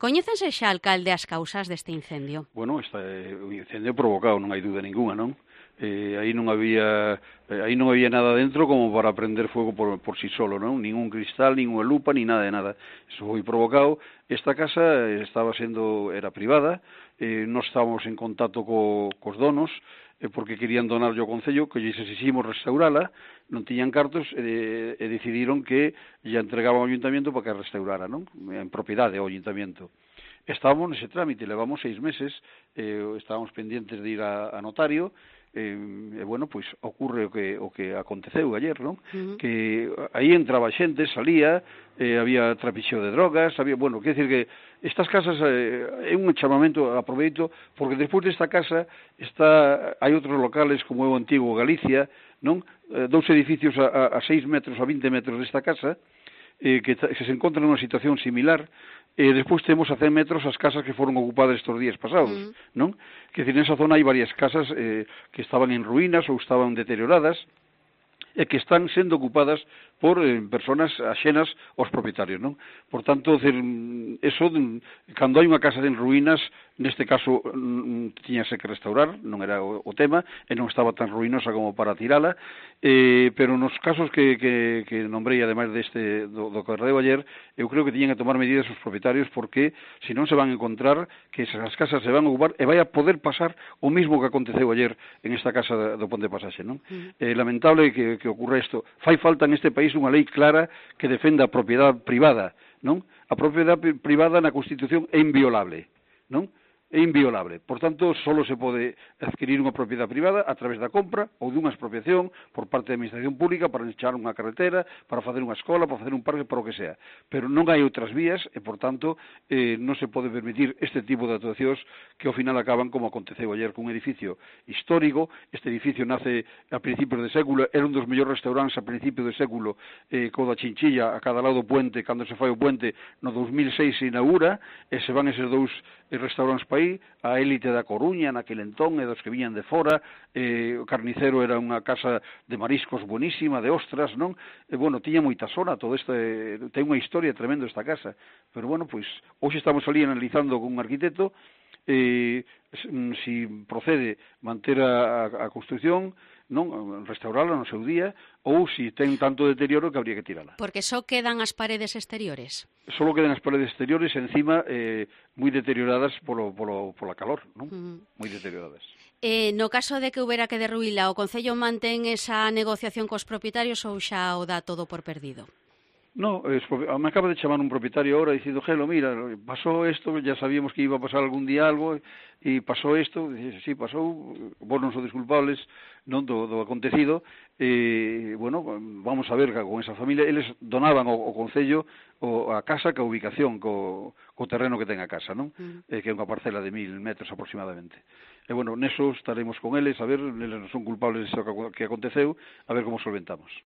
Coñécense xa, alcalde, as causas deste incendio? Bueno, o incendio provocado, non hai dúda ninguna, non? Aí non había nada dentro como para prender fuego por si solo, non? Ningún cristal, ninguna lupa, ni nada de nada. Eso foi provocado. Esta casa era privada, non estábamos en contacto cos donos, porque querían donarlle ao Concello, que lles exiximos restaurala, non tiñan cartos, e decidiron que lle entregaban ao Ayuntamiento para que a restaurara, non? En propiedade ao Ayuntamiento. Estábamos nese trámite, levamos 6 meses, estábamos pendientes de ir a notario, bueno, pois ocurre o que aconteceu ayer, non? Que aí entraba xente, salía, había trapicheo de drogas, quer decir que estas casas é un chamamento, aproveito, porque despois desta casa hai outros locales como é o antigo Galicia, non? 2 edificios a 6 metros, a 20 metros desta casa, que se encontran nunha situación similar. Despois temos a 100 metros as casas que foron ocupadas estes días pasados, non? Que decir, nesa zona hai varias casas que estaban en ruínas ou estaban deterioradas e que están sendo ocupadas por personas axenas aos propietarios, non? Por tanto, eso, cando hai unha casa en ruínas, neste caso tiñase que restaurar, non era o tema, e non estaba tan ruinosa como para tirala, pero nos casos que nombrei, ademais do que redeu ayer, eu creo que tiñan que tomar medidas os propietarios, porque se non se van a encontrar que esas casas se van a ocupar e vai a poder pasar o mismo que aconteceu ayer en esta casa do Ponte Pasaxe, non? Lamentable que ocurra isto. Fai falta neste país unha lei clara que defenda a propiedade privada, non? A propiedade privada na Constitución é inviolable, non? É inviolable. Por tanto, só se pode adquirir unha propiedade privada a través da compra ou dunha expropiación por parte da Administración Pública para echar unha carretera, para facer unha escola, para facer un parque, para o que sea. Pero non hai outras vías e, por tanto, non se pode permitir este tipo de actuacións que ao final acaban como aconteceu ayer cun edificio histórico. Este edificio nace a principios de século, era un dos mellores restaurantes a principios de século, co da Chinchilla a cada lado do puente, cando se fai o puente no 2006 se inaugura, e se van eses dous restaurantes para aí, a élite da Coruña naquele entón e dos que viñan de fora, o Carnicero era unha casa de mariscos buenísima, de ostras, non? Tiña moita zona, todo isto ten unha historia tremenda esta casa, pero pois hoxe estamos ali analizando con un arquitecto si procede manter a construción, non, restaurala no seu día, ou si ten tanto deterioro que habría que tirala. Porque só quedan as paredes exteriores? Só quedan as paredes exteriores, encima moi deterioradas pola calor, non? Moi deterioradas. No caso de que houbera que derruíla, o Concello mantén esa negociación cos propietarios ou xa o dá todo por perdido? No, me acaba de chamar un propietario ahora dicindo, Gelo, mira, pasó esto, ya sabíamos que iba a pasar algún día algo, e pasó esto, dice, sí, pasou, vos non sodes culpables non do acontecido, vamos a ver con esa familia, eles donaban ao Concello a casa ca ubicación, co terreno que ten a casa, non? Que é unha parcela de 1000 metros aproximadamente. E, neso estaremos con eles, a ver, eles non son culpables disso que aconteceu, a ver como solventamos.